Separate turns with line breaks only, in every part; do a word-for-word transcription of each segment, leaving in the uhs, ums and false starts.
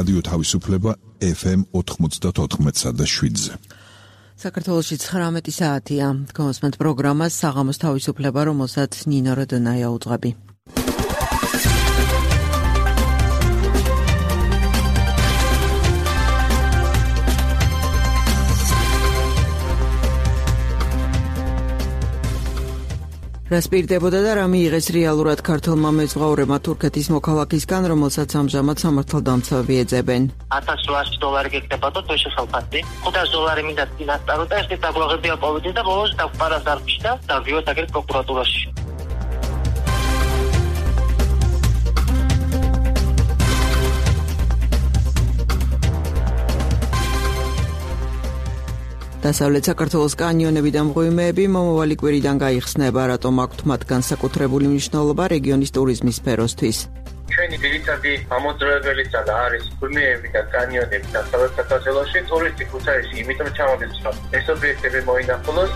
რადიო თავისუფლება ეფ ემ ოთხმოცდაოთხ და შვიდზე.
საქართველოში ცხრამეტი საათია. გონსმენთ პროგრამას საღამოს თავისუფლება, რომელსაც ნინო როდონაია უძღვები. რას პირდებოდა და რა მიიღეს რეალურად ქართულმა მეზღვაურებმა თურქეთის მოქალაქისგან, რომელსაც ამჟამად სამართალდამცავები ეძებენ.
ათას რვაასი დოლარი გეკდება და თოშე ხელფასი. ხუთას დოლარი მინდა წინასწარო და ეს დაგვაღებია პოვიდი და ბოლოს დაგვყარა დარფში და დავდივართ აგერ პროკურატურაში. დასავლეთ საქართველოს კანიონები და მღვიმეები მომავალი კვირიდან გაიხსნება, რატომ აქვთ მათ განსაკუთრებული მნიშვნელობა რეგიონის ტურიზმის სფეროსთვის.
ჩვენი ძირითადი ამოძრავებელიც არის მღვიმეები და კანიონები დასავლეთ საქართველოში, ტურისტი ქუთაისში, იმიტომ ჩამოდის, რომ ეს ობიექტები მოინახულოს.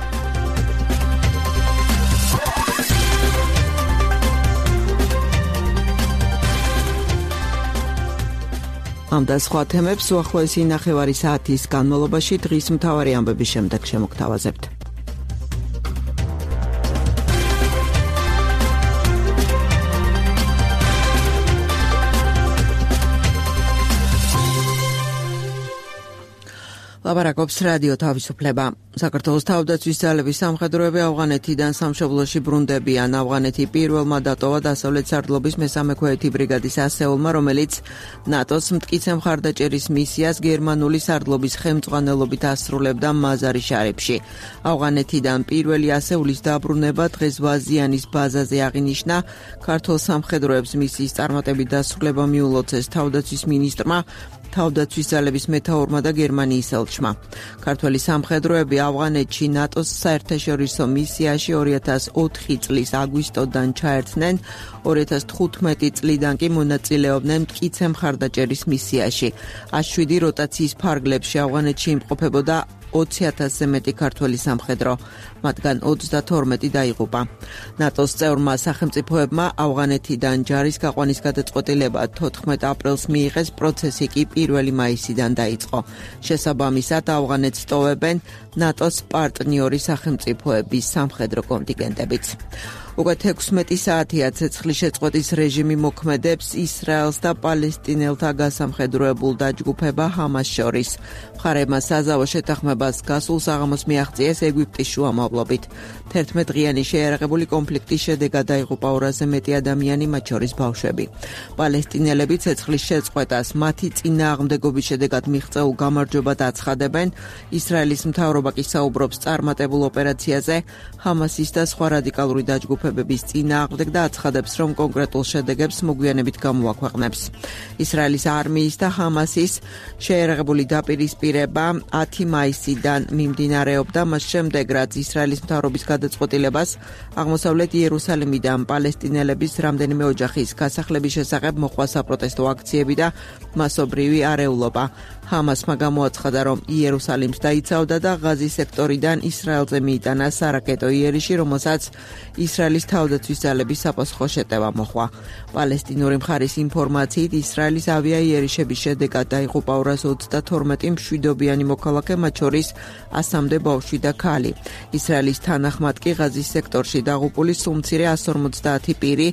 ამ და სხვა თემებს უახლოესი ნახევარი საათის განმავლობაში დღის მთავარი ამბების შემდეგ შემოგთავაზებთ. ლაპარაკობს რადიო თავისუფლება. საქართველოს თავდაცვის ძალების სამხედროები ავღანეთიდან სამშობლოში ბრუნდებიან. ავღანეთი პირველმა დატოვა დასავლეთ სარდლობის მესამე ქვეითი ბრიგადის ასეულმა, რომელიც ნატოს მტკიცე მხარდაჭერის მისიას გერმანული სარდლობის ხელმძღვანელობით ასრულებდა მაზარი შარიფში. ავღანეთიდან პირველი ასეულის დაბრუნება დღეს ვაზიანის ბაზაზე აღინიშნა. ქართულ სამხედროებს მისიის წარმატებით დასრულება მიულოცეს თავდაცვის მინისტრმა, თავდაცვის ძალების მეთაურმა და გერმანიის ელჩმა. ქართველი სამხედროები ავღანეთში ნატოს საერთაშორისო მისიაში ორი ათას ოთხი წლის აგვისტოდან ჩაერთნენ, ორი ათას თხუთმეტი წლიდან კი მონაწილეობდნენ მტკიცე მხარდაჭერის მისიაში. ას შვიდი როტაციის ფარგლებში ავღანეთში იმყოფებოდა ოცი ათასზე მეტი ქართველი სამხედრო, მათგან ოცდათორმეტი დაიღუპა. ნატოს წევრმა სახელმწიფოებმა ავღანეთიდან ჯარის გაყვანის გადაწყვეტილება თოთხმეტ აპრილს მიიღეს, პროცესი კი პირველი მაისიდან დაიწყო. შესაბამისად ავღანეთს ტოვებენ ნატოს პარტნიორი სახელმწიფოების სამხედრო კონტინგენტებიც. უკვე თექვსმეტი საათია ცეცხლის შეწყვეტის რეჟიმი მოქმედებს ისრაელს და პალესტინელთა გასამხედროებულ დაჯგუფება ჰამას შორის. მხარეებმა საზავო შეთანხმებას გასულ საღამოს მიაღწიეს ეგვიპტის შუამავლობით. თერთმეტ დღიანი შეიარაღებული კონფლიქტის შედეგად დაიღუპა ორასზე მეტი ადამიანი, მათ შორის ბავშვები. პალესტინელები ცეცხლის შეწყვეტას მათი წინააღმდეგობის შედეგად მიღწეულ გამარჯვებად აცხადებენ. ისრაელის მთავრობა კი საუბრობს წარმატებულ ოპერაციაზე ჰამასის და სხვა რადიკალური დაჯგუფებების წინააღმდეგ და აცხადებს, რომ კონკრეტულ შედეგებს მოგვიანებით გამოაქვეყნებს. ისრაელის არმიის და ჰამასის შეიარაღებული დაპირისპირება ათი მაისიდან მიმდინარეობდა, მას შემდეგ რაც ისრაელის მთავრობის გადაწყვეტილებას აღმოსავლეთ იერუსალიმიდან პალესტინელების რამდენიმე ოჯახის გასახლების შესახებ მოყვა საპროტესტო აქციები და მასობრივი არეულობა. ჰამასმა გამოაცხადა, რომ იერუსალიმს დაიცავდა და ღაზის სექტორიდან ისრაელზე მიიტანა სარაკეტო იერიში, რომელსაც ისრაელის თავდაცვის ძალების საფასუხო შეტევა მოჰყვა. პალესტინური მხარის ინფორმაციით ისრაელის ავიაიერიშების შედეგად დაიღუპა ორას ოცდათორმეტი მშვიდობიანი მოქალაქე, მათ შორის ასამდე ბავშვი და ქალი. ისრაელის თანახმად კი ღაზის სექტორში დაღუპული სულ მცირე ას ორმოცდაათი პირი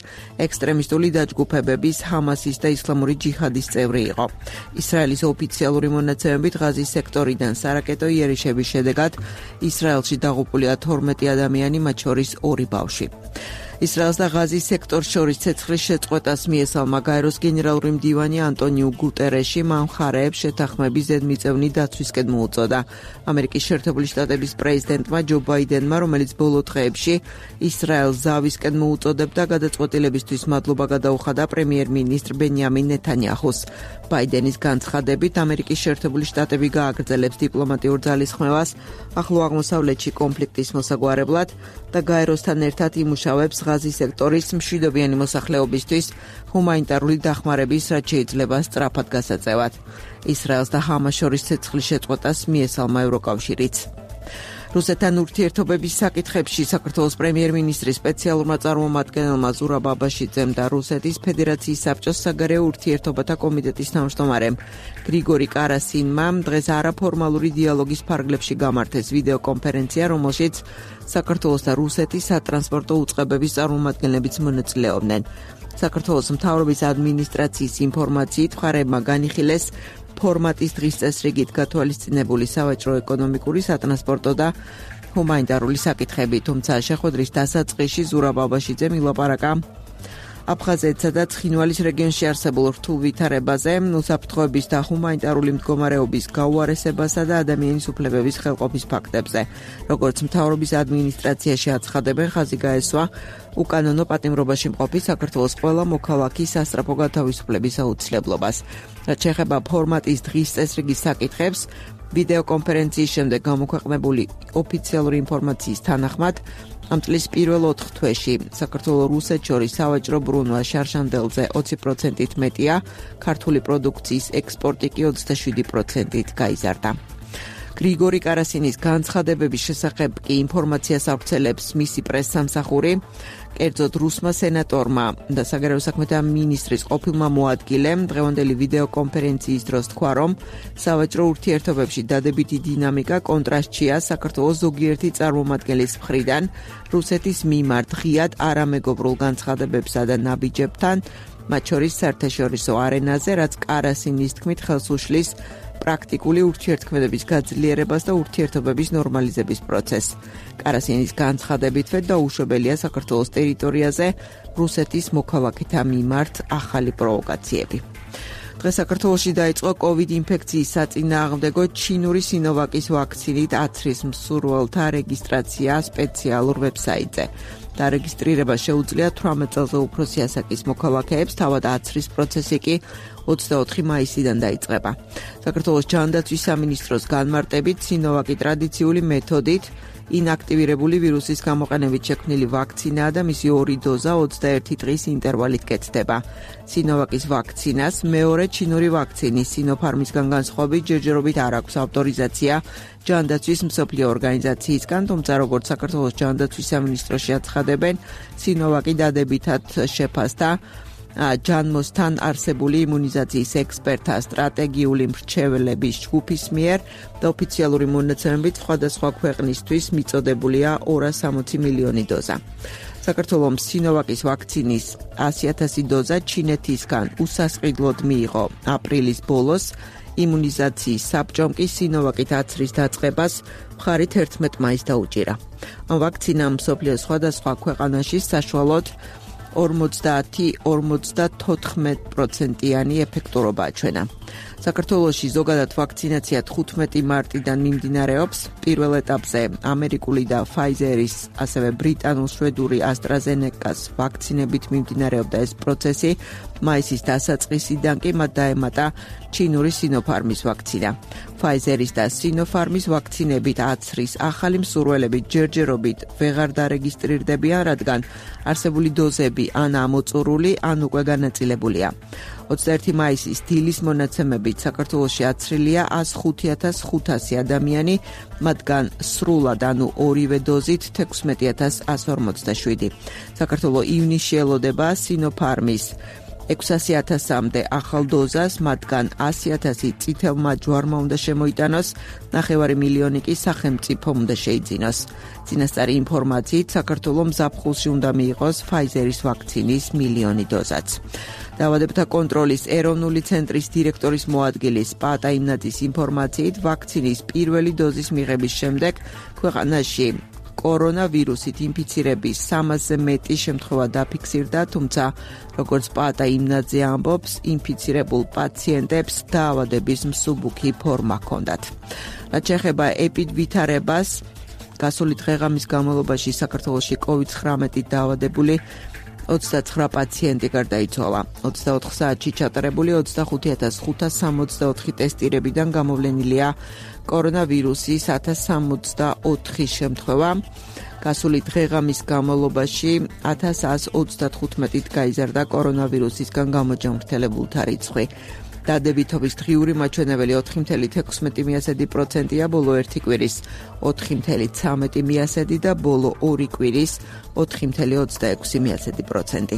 ექსტრემისტული დაჯგუფებების ჰამასის და ისლამური ჯიჰადის წევრი იყო. ისრაელის ოფიციალური მონაცემებით ღაზის სექტორიდან სარაკეტო იერიშების შედეგად ისრაელში დაღუპულია თორმეტი ადამიანი, მათ შორის ორი ბავშვი. ისრაელს და ღაზის სექტორს შორის ცეცხლის შეწყვეტას მიესალმა გაეროს გენერალური მდივანი ანტონიუ გუტერეში, მან მხარეებს შეთანხმების ზედმიწევნი დაცვისკენ მოუწოდა. ამერიკის შეერთებული შტატების პრეზიდენტმა ჯო ბაიდენმა, რომელიც ბოლო დღეებში ისრაელს ზავისკენ მოუწოდებდა, გადაწყვეტილებისთვის მადლობა გადაუხადა პრემიერ-მინისტრ ბენიამინ ნეთანიაჰუს. ბაიდენის განცხადებით, ამერიკის შეერთებული შტატები გააგრძელებს დიპლომატიურ ძალისხმევას ახლო აღმოსავლეთში კონფლიქტის მოსაგვარებლად და გაეროსთან ერთად იმუშავებს ღაზის სექტორის მშვიდობიანი მოსახლეობისთვის ჰუმანიტარული დახმარების, რაც შეიძლება სწრაფად გასაწევად. ისრაელს და ჰამას შორის ცეცხლის შეწყვეტას მიესალმა ევროკავშირიც. რუსეთთან ურთიერთობების საკითხებში საქართველოს პრემიერ-მინისტრის სპეციალურმა წარმომადგენელმა ზურაბ აბაშიძემ და რუსეთის ფედერაციის საბჭოს საგარეო ურთიერთობათა კომიტეტის თავმჯდომარემ გრიგორი კარასინმა დღეს არაფორმალური დიალოგის ფარგლებში გამართეს ვიდეო კონფერენცია, რომელშიც საქართველოს და რუსეთის სატრანსპორტო უწყებების წარმომადგენლებიც მონაწილეობდნენ. საქართველოს მთავრობის ადმინისტრაციის ინფორმაციით მხარეებმა განიხილეს ფორმატის დღის წესრიგით გათვალისწინებული სავაჭრო-ეკონომიკური, სატრანსპორტო და ჰუმანიტარული საკითხები, თუმცა შეხვედრის დასაწყისში ზურაბ აბაშიძემ ილაპარაკა აფხაზეთსა და ცხინვალის რეგიონში არსებულ რთულ ვითარებაზე, უსაფრთხოების და ჰუმანიტარული მდგომარეობის გაუარესებასა და ადამიანის უფლებების ხელყოფის ფაქტებზე. როგორც მთავრობის ადმინისტრაციაში აცხადებენ, ხაზი გაესვა უკანონო პატიმრობაში მყოფი საქართველოს ყველა მოქალაქის სასწრაფო გათავისუფლების აუცილებლობას. რაც შეეხება ფორმატის დღის წესრიგის საკითხებს, ვიდეო კონფერენციის შემდეგ გამოქვეყნებული ოფიციალური ინფორმაციის თანახმად, ამ წლის პირველ ოთხ თვეში საქართველოს რუსეთს შორის სავაჭრო ბრუნვა შარშანდელზე ოცი პროცენტით მეტია, ქართული პროდუქციის ექსპორტი კი ოცდაშვიდი პროცენტით გაიზარდა. გრიგორი კარასინის განცხადებების შესახებ კი ინფორმაციას ავრცელებს მისი პრესსამსახური, კერძოდ რუსმა სენატორმა და საგარეო საქმეთა მინისტრის ყოფილმა მოადგილემ დღევანდელი ვიდეო კონფერენციის დროს თქვა, რომ სავაჭრო ურთიერთობებში დადებითი დინამიკა კონტრასტშია საქართველოს ზოგიერთი წარმომადგენლის მხრიდან რუსეთის მიმართ ღიად არამეგობრულ განცხადებებსა და ნაბიჯებთან, მათ შორის საერთაშორისო არენაზე, რაც კარასინის თქმით ხელს უშლის პრაქტიკული ურთიერთქმედების გაძლიერებას და ურთიერთობების ნორმალიზების პროცესს. კარასინის განცხადებითვე დაუშვებელია საქართველოს ტერიტორიაზე რუსეთის მოქალაქეთა მიმართ ახალი პროვოკაციები. დღეს საქართველოში დაიწყო კოვიდ ინფექციის საწინააღმდეგო ჩინური სინოვაკის ვაქცინით აცრის მსურველთა რეგისტრაცია სპეციალურ ვებსაიტზე. დარეგისტრირება შეუძლია თვრამეტ წელზე უფროსი ასაკის მოქალაქეებს, თავად აცრის პროცესი კი ოცდაოთხი მაისიდან დაიწყება. საქართველოს ჯანდაცვის სამინისტროს განმარტებით სინოვაკი ტრადიციული მეთოდით ინაქტივირებული ვირუსის გამოყენებით შექმნილი ვაქცინაა და მისი ორი დოზა ოცდაერთი დღის ინტერვალით კეთდება. სინოვაკის ვაქცინას მეორე ჩინური ვაქცინის სინოფარმისგან განსხვავებით ჯერჯერობით არ აქვს ავტორიზაცია ჯანდაცვის მსოფლიო ორგანიზაციისგან, თუმცა როგორც საქართველოს ჯანდაცვის სამინისტროში აცხადებენ, სინოვაკი დადებითად შეფასდა ჯანმოსთან არსებული იმუნიზაციის ექსპერტთა სტრატეგიული მრჩევლების ჯგუფის მიერ და ოფიციალური მონაცემებით სხვადასხვა ქვეყნისთვის მიწოდებულია ორას სამოცი მილიონი დოზა. საქართველოს სინოვაკის ვაქცინის ასი ათასი დოზა ჩინეთისგან უსასყიდლოდ მიიღო აპრილის ბოლოს, იმუნიზაციის საბჭომ კი სინოვაკით აცრის დაწყებას მხარით ერთმეტ მაისს დაუჭირა. ამ ვაქცინამ მსოფლიოს სხვადასხვა ქვეყანაში საშუალოდ ორმოცდაათი ორმოცდათოთხმეტ პროცენტიანი ეფექტურობა აჩვენა. საქართველოში ზოგადად ვაქცინაცია თხუთმეტი მარტიდან მიმდინარეობს. პირველ ეტაპზე ამერიკული და ფაიზერის, ასევე ბრიტანულ-შვედური ასტრაზენეკას ვაქცინებით მიმდინარეობდა ეს პროცესი. მაისის დასაწყისიდან კი მათ დაემატა ჩინური სინოფარმის ვაქცინა. ფაიზერის და სინოფარმის ვაქცინებით აცრის ახალი მსურველები ჯერჯერობით ვეღარ დარეგისტრირდებიან, რადგან არსებული დოზები ან ამოწურული, ან უკვე განაწილებულია. ოცდაერთი მაისის დილის მონაცემებით საქართველოში აცრილია ას ხუთი ათას ხუთასი ადამიანი, მათგან სრულად, ანუ ორივე დოზით თექვსმეტი ათას ასი ორმოცდაშვიდი. საქართველოს ივნისში ელოდება სინოფარმის ექვსასი ათასამდე ახალ დოზას, მათგან ასი ათასი წითელმა ჯვარმა უნდა შემოიტანოს, ნახევარი მილიონი კი სახელმწიფომ უნდა შეიძინოს. წინასწარი ინფორმაციით საქართველოს მზაფხულში უნდა მიიღოს ფაიზერის ვაქცინის მილიონი დოზაც. დაავადებათა კონტროლის ეროვნული ცენტრის დირექტორის მოადგილის პაატა იმნაძის ინფორმაციით, ვაქცინის პირველი დოზის მიღების შემდეგ ქვეყანაში კორონავირუსით ინფიცირების სამასზე მეტი შემთხვევა დაფიქსირდა, თუმცა როგორც პაატა იმნაძე ამბობს, ინფიცირებულ პაციენტებს დაავადების მსუბუქი ფორმა ჰქონდათ. რაც შეეხება ეპიდვითარებას, გასული დღე-ღამის განმავლობაში საქართველოში კოვიდ ცხრამეტით დაავადებული ოცდაცხრა პაციენტი გარდაიცვალა. ოცდაოთხ საათში ჩატარებული ოცდახუთი ათას ხუთას სამოცდაოთხი ტესტირებიდან გამოვლენილია კორონავირუსის ათას სამოცდაოთხი შემთხვევა. გასული დღე-ღამის განმავლობაში ათას ას ოცდათხუთმეტით გაიზარდა კორონავირუსისგან გამოჯანმრთელებულთა რიცხვი. დადებითობის დღიური მაჩვენებელი ოთხი კoma ათექვსმეტი პროცენტია, ბოლო ერთი კვირის ოთხი კoma ცხრამეტი და ბოლო ორი კვირის ოთხი კoma ოცდაექვსი პროცენტი.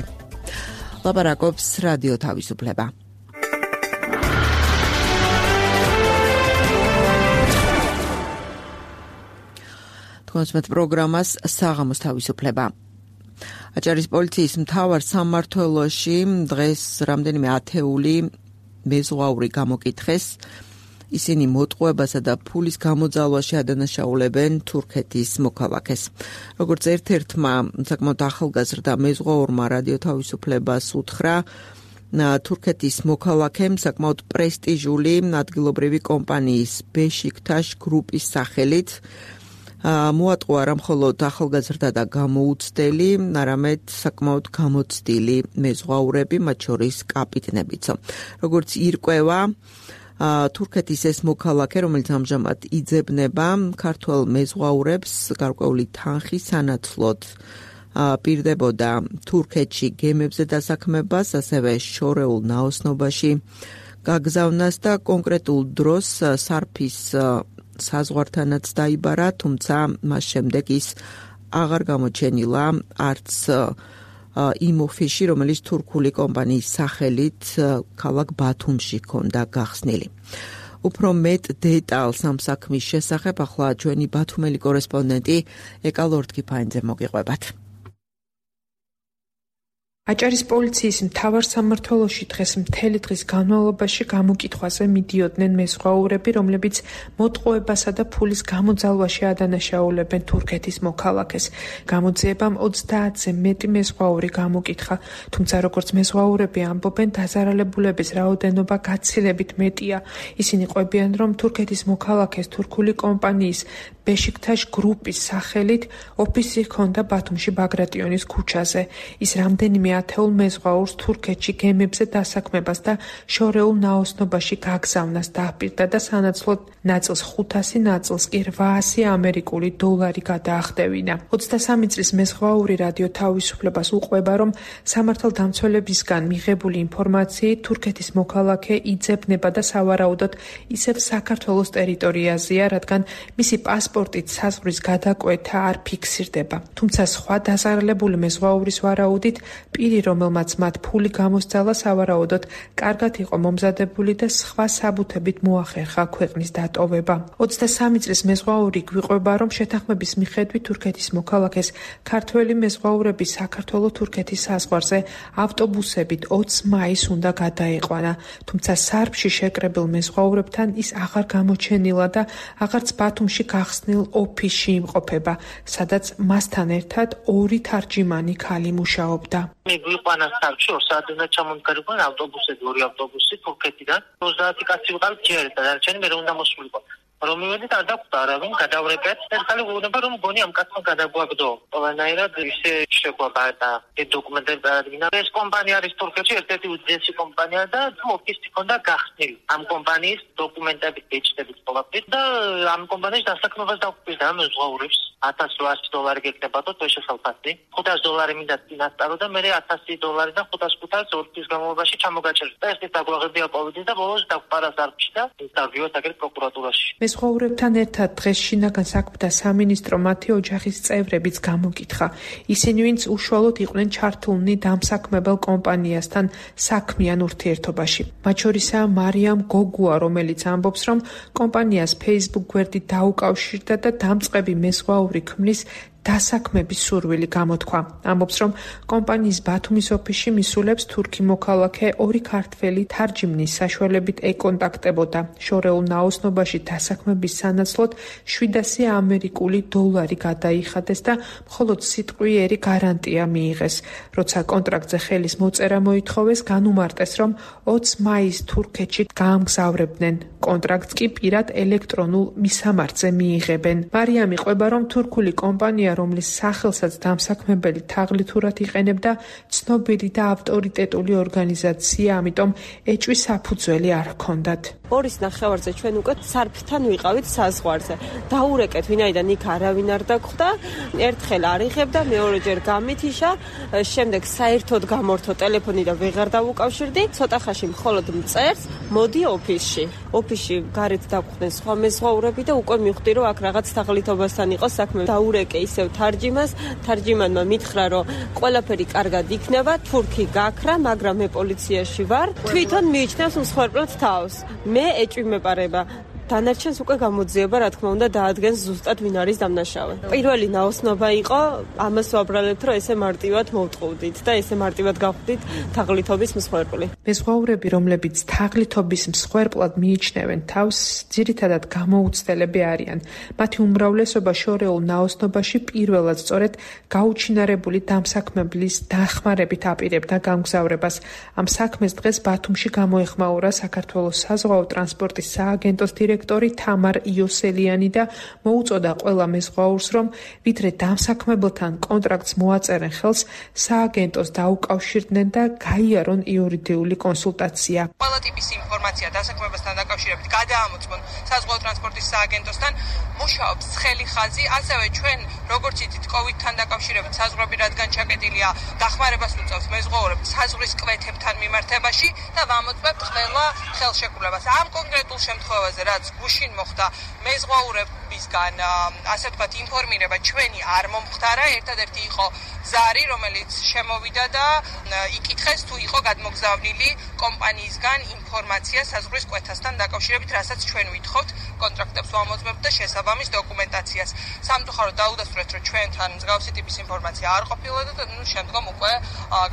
ლაპარაკობს რადიო თავისუფლება. თქვენს პროგრამას საღამოს თავისუფლება. აჭარის პოლიციის მთავარ სამმართველოში დღეს რამდენიმე ათეული მეზღვაური გამოკითხეს. ისინი მოტყუებასა და ფულის გამოძალვაში ადანაშაულებენ თურქეთის მოქალაქეს. როგორც ერთ-ერთმა საკმაოდ ახალგაზრდა მეზღვაურმა რადიო თავისუფლებას უთხრა, თურქეთის მოქალაქემ საკმაოდ პრესტიჟული ადგილობრივი კომპანიის ბეშიქტაშ გრუპის სახელით მოატყუა არა მხოლოდ ახალგაზრდა და გამოუცდელი, არამედ საკმაოდ გამოცდილი მეზღვაურები, მათ შორის კაპიტნებიცო. როგორც ირკვევა, თურქეთის ეს მოქალაქე, რომელიც ამჟამად იძებნება ქართველ მეზღვაურებს გარკვეული თანხის სანაცვლოდ პირდებოდა თურქეთში გემებზე დასაქმებას, ასევე შორეულ ნაოსნობაში გაგზავნას და კონკრეტულ დროს სარფის საზღვართანაც დაიბარა, თუმცა მას შემდეგ ის აღარ გამოჩენილა არც იმ ოფისში, რომელიც თურქული კომპანიის სახელით ქალაქ ბათუმში ჰქონდა გახსნილი. უფრო მეტ დეტალს ამ საქმის შესახებ ახლა ჩვენი ბათუმელი კორესპონდენტი ეკა ლორდ-კიფაინძე მოგიყვებათ.
აჭარის პოლიციის მთავარ სამმართველოში დღეს მთელი დღის განმავლობაში გამოკითხვაზე მიდიოდნენ მეზღვაურები, რომლებიც მოტყუებასა და ფულის გამოძალვაში ადანაშაულებენ თურქეთის მოქალაქეს. გამოძიებამ ოცდაათზე მეტი მეზღვაური გამოკითხა, თუმცა როგორც მეზღვაურები ამბობენ, დაზარალებულების რაოდენობა გაცილებით მეტია. ისინი ყვებიან, რომ თურქეთის მოქალაქეს თურქული კომპანიის ბეშიქტაშ გრუპის სახელით ოფისი ჰქონდა ბათუმში ბაგრატიონის ქუჩაზე. ის რამდენიმე ათეულ მეზღვაურს თურქეთში გემებზე დასაქმებას და შორეულ ნაოსნობაში გაგზავნას დაჰპირდა და სანაცვლოდ ნაწილს ხუთასი, ნაწილს კი რვაასი ამერიკული დოლარი გადაახდევინა. ოცდასამი წლის მეზღვაური რადიო თავისუფლებას უყვება, რომ სამართალდამცველებისგან მიღებული ინფორმაციით თურქეთის მოქალაქე იძებნება და სავარაუდოდ ისევ საქართველოს ტერიტორიაზეა, რადგან მისი პასპორტით საზღვრის გადაკვეთა არ ფიქსირდება. თუმცა სხვა დაზარალებული მეზღვაურის ვარაუდით პირი, რომელმაც მათ ფული გამოსძალა, სავარაუდოდ კარგად იყო მომზადებული და სხვა საბუთებით მოახერხა ქვეყნის დატოვება. ოცდასამი წლის მეზღვაური გვიყვება, რომ შეთანხმების მიხედვით თურქეთის მოქალაქეს ქართველი მეზღვაურები საქართველო-თურქეთის საზღვარზე ავტობუსებით ოცი მაისს უნდა გადაეყვანა, თუმცა სარფში შეკრებილ მეზღვაურებთან ის აღარ გამოჩენილა და აღარც ბათუმში გახსნილ ოფისში იმყოფება, სადაც მასთან ერთად ორი თარჯიმანი ქალი მუშაობდა.
მიგვიყვანა სარფში ორ საათი უნდა ჩამონგარიყვან ავტობუსები, ორი ავტობუსი თურქეთიდან. ოცდაათი კაცი ვიყავით ჯერ და დარჩენი მე უნდა მოსულიყო. რომ მივედით არ დაგვდა არავინ გადავრებეთ. ეს ხალი გუნება რომ გონი ამ კაცმა გადაგვაგდო. ყველანაირად ისე შეგვაბა და ეს დოკუმენტები დაადგინა. ეს კომპანია არის თურქეთში ერთ-ერთი უდიდესი კომპანია და ოფისი ჰქონდა გახსნილი. ამ კომპანიის დოკუმენტები ეჭდებით ყველაფერი და ამ კომპანიის დასაქმებას დაუკვირდა მეზღვაურებს. ათას რვაასი დოლარი გეკნებოდო თვეში ხელფასი. ხუთასი დოლარი მინდა წინასწარო და მე ათასი დოლარი და ხუთას ხუთას ორი თვის განმავლობაში ჩამოგაჭერდა. ეს დაგვაღებია პოვიდი და ბოლოს დავყარა სარფში და დავიოთ აგერ პროკურატურაში.
მეზღვაურებთან ერთად დღეს შინაგან საქმეთა სამინისტრო მათი ოჯახის წევრებიც გამოკითხა. ისინი, ვინც უშუალოდ იყვნენ ჩართულნი დამსაქმებელ კომპანიასთან საქმიან ურთიერთობაში. მათ შორისაა მარიამ გოგუა, რომელიც ამბობს, რომ კომპანიას Facebook გვერდით დაუკავშირდა და დამწყები მეზღვაური ქმნის დასაქმების სურვილი გამოთქვა. ამბობს, რომ კომპანიის ბათუმის ოფისში მისულებს თურქი მოქალაქე ორი ქართველი თარჯიმნის საშუალებით ეკონტაქტებოდა. შორეულ ნაოსნობაში დასაქმების სანაცვლოდ შვიდასი ამერიკული დოლარი გადაიხადეს და მხოლოდ სიტყვიერი გარანტია მიიღეს. როცა კონტრაქტზე ხელის მოწერა მოითხოვეს, განუმარტეს, რომ ოცი მაისს თურქეთში გაამგზავრებდნენ. კონტრაქტს კი პირად ელექტრონულ მისამართზე მიიღებენ. მარიამი ყვება, რომ თურქული კომპანია რომლის სახელსაც დამსაქმებელი თაღლითურად იყენებდა ცნობილი და ავტორიტეტული ორგანიზაცია, ამიტომ ეჭვის საფუძველი არ ჰქონდათ.
Ორის ნახევარზე ჩვენ უკვე სარფთან ვიყავით საზღვარზე. დაურეკეთ, ვინაიდან იქ არავინ არ დაგხვდა, ერთხელ არ იღებდა, მეორეჯერ გამithიშა, შემდეგ საერთოდ გამორთო ტელეფონი და ვეღარ დავუკავშირდი. ცოტა ხანში მხოლოდ მწერს, მოდი ოფისში. ოფისში გარეთ დაგხვდნენ სხვა მეზღვაურები და უკვე მივხვდი, რომ აქ რაღაც თაღლითობასთან იყო საქმე. დაურეკე ისევ თარჯიმას, თარჯიმანმა მითხრა, რომ ყველაფერი კარგად იქნება, თურქი გაქრა, მაგრამ მე პოლიციაში ვარ. თვითონ მიიჩნევს მსხვერპლად თავს. მე ეჭვი მეპარება. დანარჩენს უკვე გამოძიება, რა თქმა უნდა, დაადგენს ზუსტად ვინ არის დამნაშავე. პირველი ნაოსნობა იყო, ამას ვაბრალებთ, რომ ესე მარტივად მოვტყუდით და ესე მარტივად გავხდით თაღლითობის მსხვერპლი.
მეზღვაურები, რომლებიც თაღლითობის მსხვერპლად მიიჩნევენ თავს, ძირითადად გამოუცდელები არიან. მათი უმრავლესობა შორეულ ნაოსნობაში პირველად სწორედ გაუჩინარებული დამსაქმებლის დახმარებით აპირებდა გამგზავრებას. ამ საქმეს დღეს ბათუმში გამოეხმაურა საქართველოს საზღვაო ტრანსპორტის სააგენტოს დირექტორი თამარ იოსელიანი და მოუწოდა ყველა მეზღვაურს, რომ ვიდრე დამსაქმებელთან კონტრაქტს მოაწერენ ხელს, სააგენტოს დაუკავშირდნენ და გაიარონ იურიდიული კონსულტაცია.
ყველა ტიპის ინფორმაცია დასაქმებასთან დაკავშირებით გადაამოწმონ საზღვაო ტრანსპორტის სააგენტოსთან, მუშაობს ცხელი ხაზი, ასევე ჩვენ როგორც იცით კოვიდთან დაკავშირებით საზღვრები რადგან ჩაკეტილია, დახმარებას უწევს მეზღვაურებს საზღვრის კვეთებთან მიმართებაში და ვამოწმებთ ყველა ხელშეკრულებას. ამ კონკრეტულ შემთხვევაზე რაც გუშინ მოხდა მეზღვაურებისგან ასე ვთქვათ ინფორმირება ჩვენი არ მომხდარა, ერთადერთი იყო ზარი, რომელიც შემოვიდა და იკითხეს თუ იყო გადმოგზავნილი კომპანიისგან ინფორმაცია საზღვრის კვეთასთან დაკავშირებით, რასაც ჩვენ ვითხოვთ, კონტრაქტებს ვამოწმებთ და შესაბამის დოკუმენტაციას. სამწუხაროდ დაუდასტურეთ, რომ ჩვენთან მსგავსი ტიპის ინფორმაცია არ ყოფილა და ნუ შემდგომ უკვე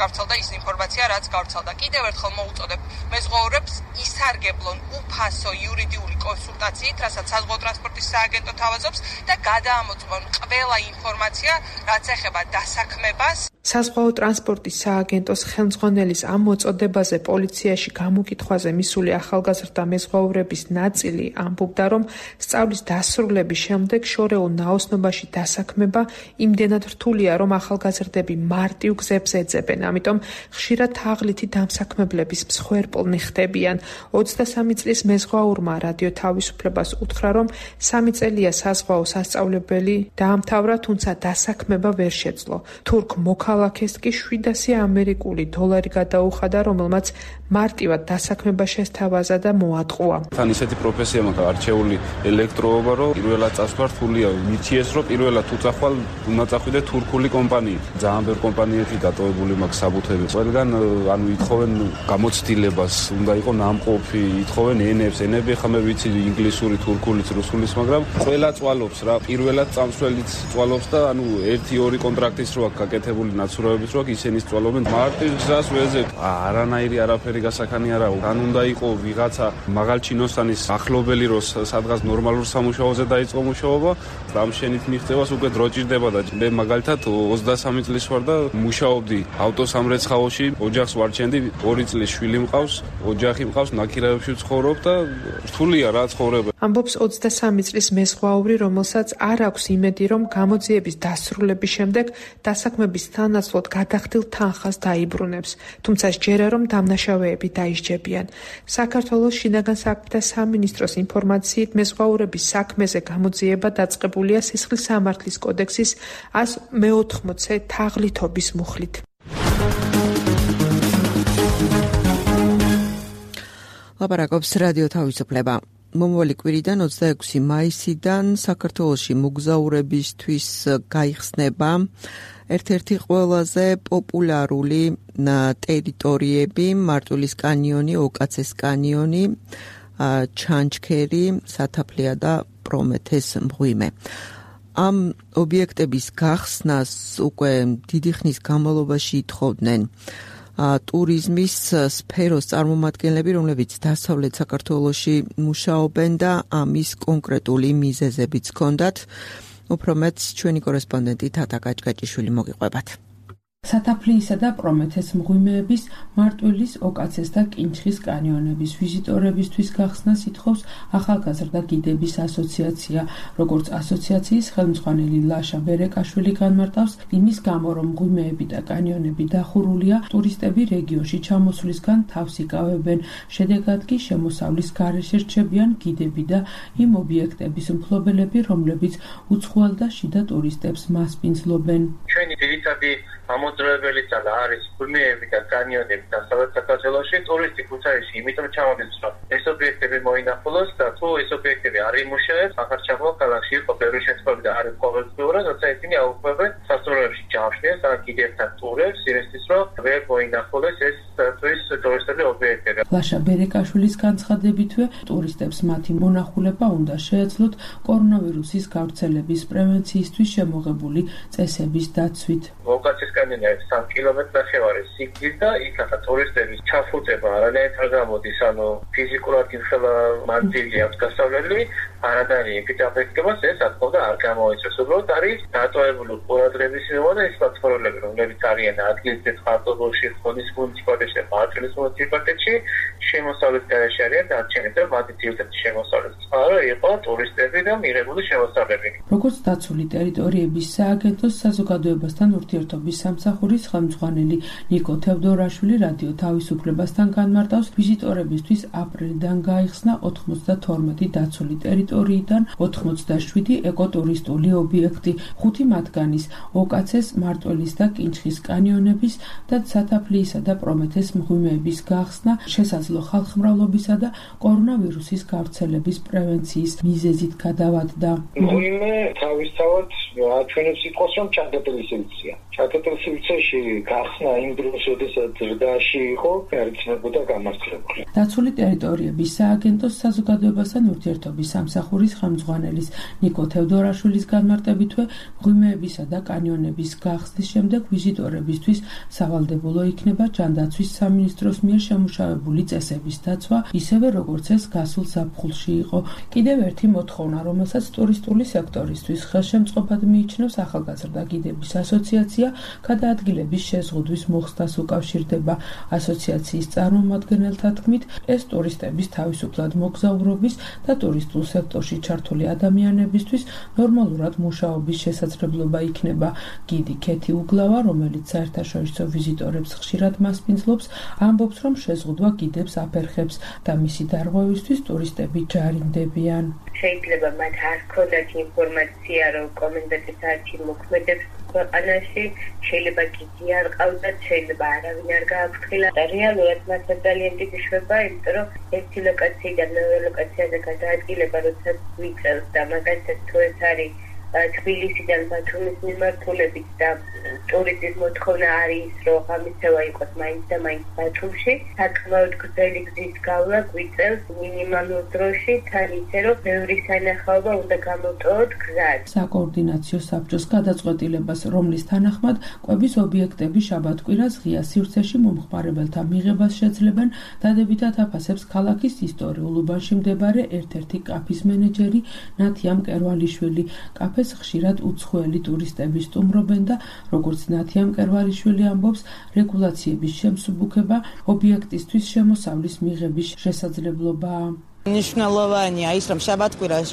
გავრცელდა ის ინფორმაცია, რაც გავრცელდა. კიდევ ერთხელ მოუწოდებ მეზღვაურებს ისარგებლონ უფასო იურიდიული კონსულტაციით, რასაც საზღვაო ტრანსპორტის სააგენტო თავაზობს და გადაამოწმონ ყველა ინფორმაცია, რაც ეხება დასაქმებას.
საზღვაო ტრანსპორტის სააგენტოს ხელმძღვანელის ამ მოწოდებაზე პოლიციაში გამოკითხვაზე მისული ახალგაზრდა მეზღვაურების ნაწილი ამბობდა, რომ სწავლის დასრულების შემდეგ შორეულ ნაოსნობაში დასაქმება იმდენად რთულია, რომ ახალგაზრდები მარტივ გზებს ეძებენ, ამიტომ ხშირად თაღლითი დამსაქმებლების მსხვერპლნი ხდებიან. ოცდასამი წლის მეზღვაურმა რადიო თავისუფლებას უთხრა, რომ სამი წელია საზღვაო სასწავლებელი დაამთავრა, თუმცა დასაქმება ვერ შეძლო. თურქ მოქალაქეს კი შვიდასი ამერიკული დოლარი გადაუხადა, რომელმაც მარტივად დასაქმება შესთავაზა და მოატყუა.
თან ისეთი პროფესია მაქვს არჩეული ელექტროობა, რომ პირველად წასვლა რთულია. მითიეს, რომ პირველად თუ წახვალ უნდა წახვიდე თურქული კომპანიით. ძალიან ბევრი კომპანიეთი დატოვებული მაქვს საბუთები. ყველგან ანუ ითხოვენ გამოცდილებას, უნდა იყოს ნამყოფი, ითხოვენ ენებს, ენები ხა მე ვიცი ინგლისური, თურქულიც, რუსულიც, მაგრამ ყველა წვალობს რა. პირველად წამსვლელიც წვალობს და ანუ ერთი ორი კონტრაქტის რო აქვს გაკეთებული ნაცვლაობის რო აქვს, ისინი წვალობენ. მარტივ გზას ვეძებ. არანაირი არაფერი გასახანი არა. ან უნდა იყო ვიღაცა მაღალჩინოსანის ახლობელი, რო სადღაც ნორმალურ სამუშაოზე დაიწყო მუშაობა, დამშენით მიღწევას უკვე დრო ჭირდება და მე მაგალითად ოცდასამი წლის ვარ და მუშაობდი ავტოსამრეცხაოში, ოჯახს ვარჩენდი, ორი წლის შვილი მყავს, ოჯახი მყავს, ნაკირაებში ვცხოვრობ და რთულია რა ცხოვრება.
ამბობს ოცდასამი წლის მეზღვაური, რომელსაც არ აქვს იმედი, რომ გამოძიების დასრულების შემდეგ დასაქმების თანაცვლოდ გადახდილ თანხას დაიბრუნებს. თუმცა სჯერა, რომ დამნაშავეები დაისჯებიან. საქართველოს შინაგან საქმეთა სამინისტროს ინფორმაციით მეზღვაურების საქმეზე გამოძიება დაწყებულია სისხლის სამართლის კოდექსის ას მეოთხმოცე თაღლითობის მუხლით.
ლაპარაკობს რადიო თავისუფლება. მომავალი კვირიდან ოცდაექვსი მაისიდან საქართველოში მოგზაურებისთვის გაიხსნება ერთ-ერთი ყველაზე პოპულარული ტერიტორიები, მარტვილის კანიონი, ოკაცეს კანიონი, ჩანჩქერი, სათაფლია და პრომეთეს მღვიმე. ამ ობიექტების გახსნას უკვე დიდი ხნის განმავლობაში ითხოვდნენ ტურიზმის სფეროს წარმომადგენლები, რომლებიც დასავლეთ საქართველოში მუშაობენ და ამის კონკრეტული მიზეზებიც ჰქონდათ. უფრო მეტს ჩვენი კორესპონდენტი თათა გაჭგაჭიშვილი მოგიყვებათ.
სათაფლიისა და პრომეთეს მღვიმეების, მარტვილის, ოკაცეს და კინჩხის კანიონების ვიზიტორებისთვის გახსნას ითხოვს ახალგაზრდა გიდების ასოციაცია. როგორც ასოციაციის ხელმძღვანელი ლაშა ბერეკაშვილი განმარტავს, იმის გამო, რომ მღვიმეები და კანიონები დახურულია, ტურისტები რეგიონში ჩამოსვლისგან თავს იკავებენ. შედეგად კი შემოსავლის გარეშე რჩებიან გიდები და იმ ობიექტების მფლობელები, რომლებიც უცხოელ და შიდა ტურისტებს მასპინძლობენ.
ჩვენი ძირითადი ამოძრავებელი ძალა არის მღვიმეები და კანიონები და სადაც საქართველოში ტურისტი ქუთაისში იმიტომ ჩამოდის, რომ ეს ობიექტები მოინახულოს და თუ ეს ობიექტები არ იმუშავებს, ახალშობილ ქალაქში იყო ბევრი შემთხვევა და არის ყოველდღიურად, როცა ისინი აუქმებენ სასტუმროებში ჯავშნებს ან კიდევთან ტურებს, იმისთვის რომ ვერ მოინახულოს ეს ტურისტული ობიექტები.
ლაშა ბერეკაშვილის განცხადებითვე, ტურისტებს მათი მონახულება უნდა შეეძლოთ კორონავირუსის გავრცელების პრევენციისთვის შემოღებული წესების დაცვით.
ოკაცეს კანიონი არის სამი კილომეტრი ნახევარის სიგრძით და იქაც ტურისტების ჩაფუტება არანაირად არ გამოდის, ანუ ფიზიკურად იმხელა მანძილი აქვს გასავლელი, არადარი ეპიდემიოლოგიას ეს ათქოდა არ გამოიწვევს. უბრალოდ არის დატოვებული ყურადღების მიმართ ის პლატფორმები, რომლებიც არიან ადგილზეც ხარკოვში, ხონის მუნიციპალიტეტში, მარტვილის მუნიციპალიტეტში, შემოსავლის გარეშე არიან დარჩენილი და მათი ძირითადი შემოსავლის წყარო იყო ტურისტები და მიღებული შემოსავლები.
როგორც დაცული ტერიტორიების სააგენტოს საზოგადოებასთან ურთიერთობის სამსახურის ხელმძღვანელი ნიკო თევდორაშვილი რადიო თავისუფლებასთან განმარტავს, ვიზიტორებისთვის აპრილიდან გაიხსნა ოცდათორმეტი დაცული ტერიტორიიდან ოცდაშვიდი ეკოტურისტული ობიექტი, ხუთი მათგანის ოკაცეს, მარტვილის და კინჩხის კანიონების და სათაფლიისა და პრომეთეს მღვიმეების გახსნა შესაძლო ხალხმრავლობისა და კორონავირუსის გავრცელების პრევენციის მიზეზით გადავადდა.
მღვიმე თავისთავად აჩვენებს იყოს, რომ ჩატეტილისებიცია. ჩატეტილისებიციაში გახსნა იმ დროს, როდესაც ზრდაში იყო, არიცნებოდა გამართლებული.
დაცული ტერიტორიების სააგენტოს საზოგადოებასთან ურთიერთობის სამსახურის ხელმძღვანელის ნიკო თევდორაშვილის განმარტებითვე, მღვიმეებისა და კანიონების გახსნის შემდეგ ვიზიტორებისთვის სავალდებულო იქნება ჯანდაცვის სამინისტროს მიერ შემუშავებული წესების დაცვა, ისევე როგორც ეს გასულ ზაფხულში იყო. კიდევ ერთი მოთხოვნა, რომელსაც ტურისტული სექტორისთვის ხელშემწყობად მიიჩნევს ახალგაზრდა გიდების ასოციაცია, გადაადგილების შეზღუდვის მოხსნას უკავშირდება. ასოციაციის წარმომადგენელთა თქმით, ეს ტურისტების თავისუფლად მოგზაურობის და ტურისტულ სექტორში ჩართული ადამიანებისთვის ნორმალურად მუშაობის შესაძლებლობა იქნება. გიდი ქეთი უგლავა, რომელიც საერთაშორისო ვიზიტორებს ხშირად მასპინძლობს, ამბობს, რომ შეზღუდვა გიდებს აფერხებს და მისი დარღვევისთვის ტურისტები ჯარიმდებიან.
შეიძლება მათ არ ჰქონდათ ინფორმაცია, რომ კომენდანტის საათი მოქმედებს ქვეყანაში, შეიძლება გიდი არ ყავდათ, შეიძლება არავინ არ გააფრთხილა და რეალურად მათაც ძალიან დიდი შვება, იმიტომ რომ ერთი ლოკაციიდან მეორე ლოკაციაზე გადაადგილება, როდესაც გვიწევს და მაგალითად თუ ეს არის თბილისიდან ბათუმის მიმართულებით და ტურისტის მოთხოვნა არის, რომ ღამისევა იყოს მაინც და მაინც ბათუმში, საკმაოდ გრძელი გზის გავლა გვიწევს მინიმალურ დროში, თან ისე რომ ბევრი სანახაობა უნდა გამოტოვოთ გზად.
საკოორდინაციო საბჭოს გადაწყვეტილებას, რომლის თანახმად კვების ობიექტები შაბათ-კვირას ღია სივრცეში მომხმარებელთა მიღებას შეძლებენ, დადებითად აფასებს ქალაქის ისტორიულ უბანში მდებარე ერთ-ერთი კაფის მენეჯერი ნათია მკერვალიშვილი. კაფე ხშირად უცხოელი ტურისტები სტუმრობენ და როგორც ნათია მკერვალიშვილი ამბობს, რეგულაციების შემსუბუქება ობიექტისთვის შემოსავლის მიღების შესაძლებლობაა.
მნიშვნელოვანია ის, რომ შაბათ-კვირას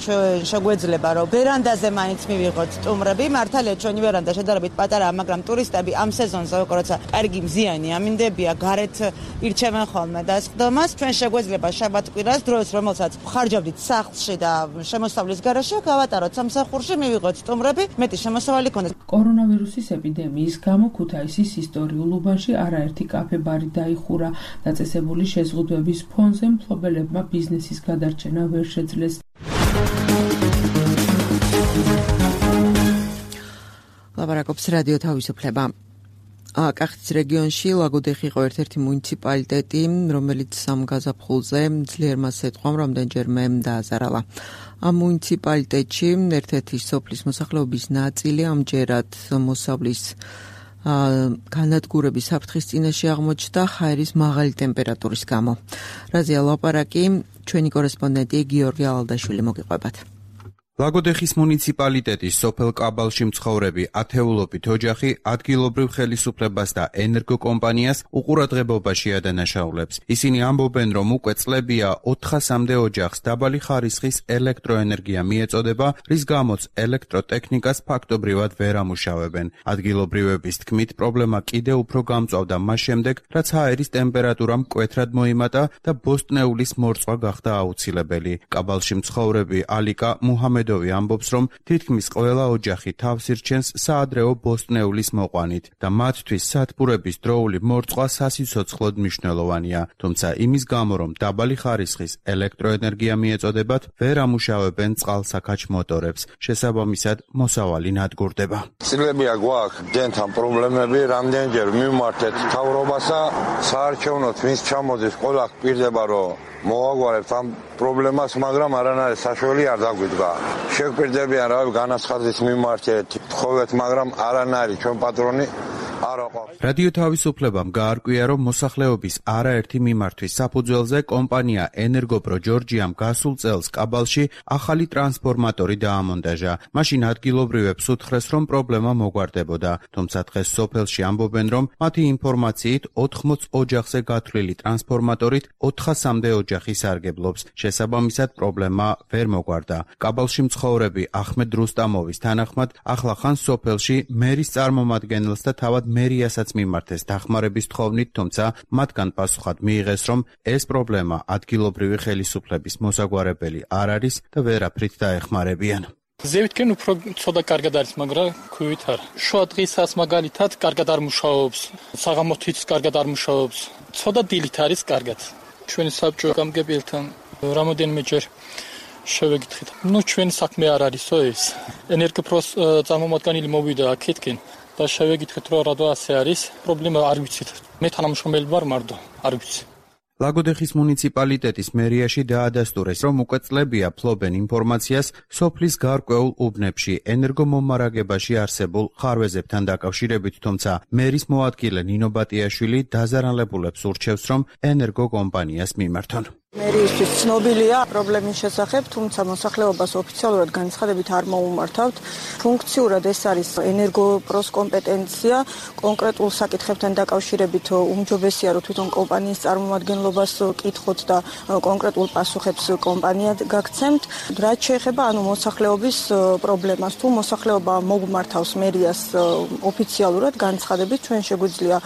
შეგვეძლება, რომ ვერანდაზე მაინც მივიღოთ სტუმრები. მართალია, ჩვენი ვერანდა შედარებით პატარაა, მაგრამ ტურისტები ამ სეზონზე, როცა კარგი მზიანი ამინდებია, გარეთ ირჩევენ ხოლმე დასხდომას. ჩვენ შეგვეძლება შაბათ-კვირას დროს, რომელსაც ხარჯავდით სახლში და შემოსავლის გარეშე, გავატაროთ სამსახურში, მივიღოთ სტუმრები, მეტი შემოსავალი ქონდეს.
კორონავირუსის ეპიდემიის გამო ქუთაისის ისტორიულ უბანში არაერთი კაფე-ბარი დაიხურა. დაწესებული შეზღუდვების ფონზე მფლობელებმა ბიზნესის გადარჩენა ვერ შეძლეს.
ლაპარაკობს რადიო თავისუფლება. კახეთის რეგიონში ლაგოდეხი იყო ერთ-ერთი მუნიციპალიტეტი, რომელიც სამ გაზაფხულზე ძლიერმა სიტყვამ რამდენჯერმე დააზარალა. ამ მუნიციპალიტეტში ერთ-ერთი სოფლის მოსახლეობის ნაწილი ამჯერად მოსავლის განადგურების საფრთხის წინაშე აღმოჩნდა ჰაერის მაღალი ტემპერატურის გამო. რაზეა ლაპარაკი ჩვენი კორესპონდენტი გიორგი ალადაშვილი მოგიყვებათ.
ლაგოდეხის მუნიციპალიტეტის სოფელ კაბალში მცხოვრები ათეულობით ოჯახი ადგილობრივ ხელისუფლებას და ენერგოკომპანიას უყურადღებობაში ადანაშაულებს. ისინი ამბობენ, რომ უკვე წლებია ოთხასამდე ოჯახს დაბალი ხარისხის ელექტროენერგია მიეწოდება, რის გამოც ელექტროტექნიკას ფაქტობრივად ვერ ამუშავებენ. ადგილობრივების თქმით, პრობლემა კიდევ უფრო გამწვავდა მას შემდეგ, რაც ჰაერის ტემპერატურა მკვეთრად მოიმატა და ბოსტნეულის მორწვა გახდა აუცილებელი. კაბალში მცხოვრები ალიკა მუჰამედოვი ამბობს, რომ თითქმის ყველა ოჯახი თავს ირჩენს საადრეო ბოსტნეულის მოყვანით და მათთვის სათბურების დროული მორწვა სასიცოცხლოდ მნიშვნელოვანია. თუმცა იმის გამო, რომ დაბალი ხარისხის ელექტროენერგია მიეწოდებათ, ვერ ამუშავებენ წყალსაქაჩ მოტორებს. შესაბამისად, მოსავალი ნადგურდება.
წლებია გვაქვს დენთან პრობლემები, რამდენჯერ მივმართეთ მთავრობასა, საარჩევნოდ ვინც ჩამოდის, ყველა გპირდება, რომ მოვაგვარებთ ამ პრობლემას, მაგრამ არანაირი საშველი არ დაგვიდგა. შეგვპირდებიან, რავი, განაცხადის მიმართეთ, თხოვეთ, მაგრამ არანაირი ჩვენ პატრონი არ აყვავს.
რადიო თავისუფლებამ გაარკვია, რომ მოსახლეობის არაერთი მიმართვის საფუძველზე კომპანია ენერგოპრო ჯორჯიამ გასულ წელს კაბალში ახალი ტრანსფორმატორი დაამონტაჟა. მაშინ ადგილობრივებს უთხრეს, რომ პრობლემა მოგვარდებოდა. თუმცა დღეს სოფელში ამბობენ, რომ მათი ინფორმაციით ოთხმოც ოჯახზე გათვლილი ტრანსფორმატორით ოთხასამდე ოჯახი სარგებლობს. შესაბამისად, პრობლემა ვერ მოგვარდა. კაბალში მცხოვრები ახმედ რუსტამოვის თანახმად, ახლახან სოფელში მერის წარმომადგენელს და თავად მერიასაც მიმართეს დახმარების თხოვნით, თუმცა მათგან პასუხად მიიღეს, რომ ეს პრობლემა ადგილობრივი ხელისუფლების მოსაგვარებელი არ არის და ვერაფრით დაეხმარებიან.
ზევითკენ უფრო ცოტა კარგად არის, მაგრამ ქვივით არა. შუა დღისას მაგალითად კარგად არ მუშაობს, საღამოთიც კარგად არ მუშაობს. ცოტა დილით არის კარგად. ჩვენი საბჭო გამგებელთან რამოდენიმეჯერ შევეკითხეთ. ნუ ჩვენი საქმე არ არისო ეს. ენერგოპროს წარმომადგენელი მოვიდა აქეთკენ და შევეკითხეთ, რომ რატო ასე არის. პრობლემა არ ვიცით. მე თანამშრომელი ვარ მარტო, არ ვიცი.
ლაგოდეხის მუნიციპალიტეტის მერიაში დაადასტურეს, რომ უკვე წლებია ფლობენ ინფორმაციას სოფლის გარკვეულ უბნებში ენერგომომარაგებაში არსებულ ხარვეზებთან დაკავშირებით, თუმცა მერის მოადგილე ნინო ბატიაშვილი დაზარალებულებს ურჩევს, რომ ენერგოკომპანიას მიმართონ.
მერიისთვის ცნობილია პრობლემის შესახებ, თუმცა მოსახლეობას ოფიციალურად განცხადებით არ მოუმართავთ. ფუნქციურად ეს არის ენერგოპროს კომპეტენცია. კონკრეტულ საკითხებთან დაკავშირებით უმჯობესია, რომ თვითონ კომპანიის წარმომადგენლობას კითხოთ და კონკრეტულ პასუხებს კომპანია გაგცემთ. რაც შეეხება ანუ მოსახლეობის პრობლემას, თუ მოსახლეობა მოგმართავს მერიას ოფიციალურად განცხადებით, ჩვენ შეგვიძლია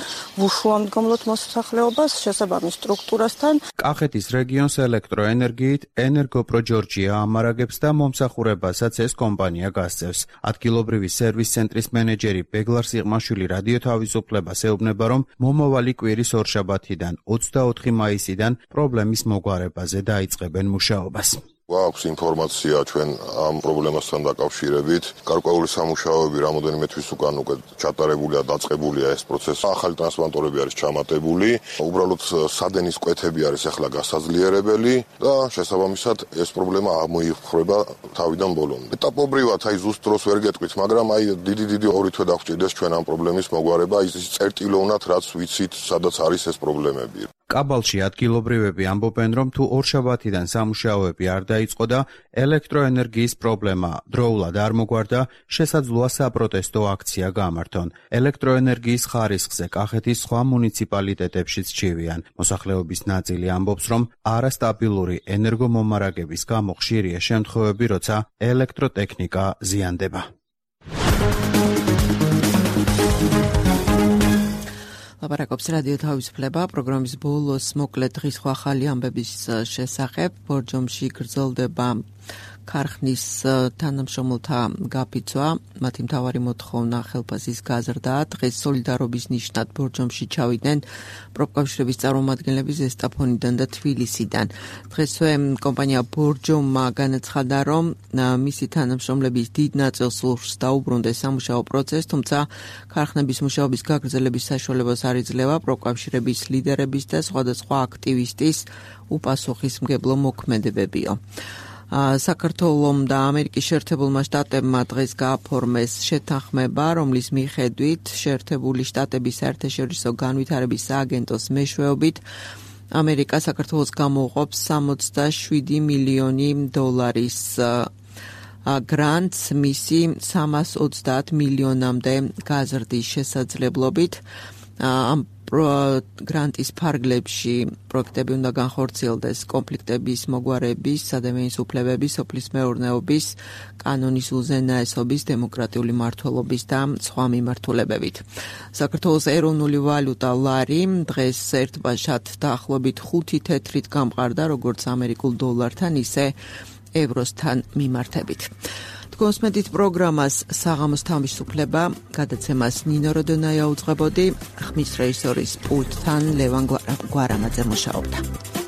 ვუშუამდგომლოთ მოსახლეობას შესაბამის სტრუქტურასთან.
კახეთის რეგიონის ელექტროენერგიით ენერგოპრო ჯორჯია ამარაგებს და მომსახურებასაც ეს კომპანია გასწევს. ადგილობრივი სერვის ცენტრის მენეჯერი ბეგლარ სიღმაშვილი რადიო თავისუფლებას ეუბნება, რომ მომავალი კვირის ორშაბათიდან ოცდაოთხი მაისიდან პრობლემის მოგვარებაზე დაიწყებენ მუშაობას.
გვაქვს ინფორმაცია ჩვენ ამ პრობლემასთან დაკავშირებით. გარკვეული სამუშაოები რამოდენიმე თვის უკან უკვე ჩატარებულია, დაწყებულია ეს პროცესი. ახალი ტრანსფორმატორები არის ჩამატებული. უბრალოდ სადენის კვეთები არის ახლა გასაძლიერებელი და შესაბამისად ეს პრობლემა ამოიფრება თავიდან ბოლომდე. ეტაპობრივად აი ზუსტ დროს ვერ გეტყვით, მაგრამ აი დიდი დიდი ორი თვე დაგვჭირდეს ჩვენ ამ პრობლემის მოგვარება, ის წერტილოვნად რაც ვიცით, სადაც არის ეს პრობლემები.
კაბალში ადგილობრივები ამბობენ, რომ თუ ორშაბათიდან სამუშაოები არ დაიწყო და ელექტროენერგიის პრობლემა დროულად არ მოგვარდა, შესაძლოა საპროტესტო აქცია გამართონ. ელექტროენერგიის ხარისხზე კახეთის სხვა მუნიციპალიტეტებშიც ჩივიან. მოსახლეობის ნაწილი ამბობს, რომ არასტაბილური ენერგომომარაგების გამო ხშირია შემთხვევები, როცა ელექტროტექნიკა ზიანდება.
ლაპარაკობს რადიო თავისუფლება პროგრამის ბოლოს მოკლედ დღის სხვა ახალი ამბების შესახებ. ბორჯომში გრძელდება ქარხნის თანამშრომელთა გაფიცვა, მათი მთავარი მოთხოვნა ხელფასის გაზრდაა. დღეს სოლიდარობის ნიშნად ბორჯომში ჩავიდნენ პროფკავშირების წარმომადგენლები ზესტაფონიდან და თბილისიდან. დღესვე კომპანია ბორჯომმა განაცხადა, რომ მისი თანამშრომლების დიდ ნაწილს სურს დაუბრუნდეს სამუშაო პროცესს, თუმცა ქარხნების მუშაობის გაგრძელების საშუალებას არ იძლევა პროფკავშირების ლიდერების და სხვადასხვა აქტივისტის უპასუხისმგებლო მოქმედებებიო. საქართველომ და ამერიკის შეერთებულმა შტატებმა დღეს გააფორმეს შეთანხმება, რომლის მიხედვით შეერთებული შტატების საერთაშორისო განვითარების სააგენტოს მეშვეობით ამერიკა საქართველოს გამოუყოფს სამოცდაშვიდი მილიონი დოლარის გრანტს მისი სამას ოცდაათ მილიონამდე გაზრდის შესაძლებლობით. ამ გრანტის ფარგლებში პროექტები უნდა განხორციელდეს კონფლიქტების მოგვარების, ადამიანის უფლებების, სოფლის მეურნეობის, კანონის უზენაესობის, დემოკრატიული მმართველობის და სხვა მიმართულებებით. საქართველოს ეროვნული ვალუტა ლარი დღეს ერთბაშად დაახლოებით ხუთი თეთრით გამყარდა, როგორც ამერიკულ დოლართან, ისე ევროსთან მიმართებით. კონსმედით პროგრამას საღამოს თავისუფლება გადაცემას ნინო როდონაია უძღვებოდი, ხმის რეჟისორის პულტთან ლევან გვარამაძე მუშაობდა.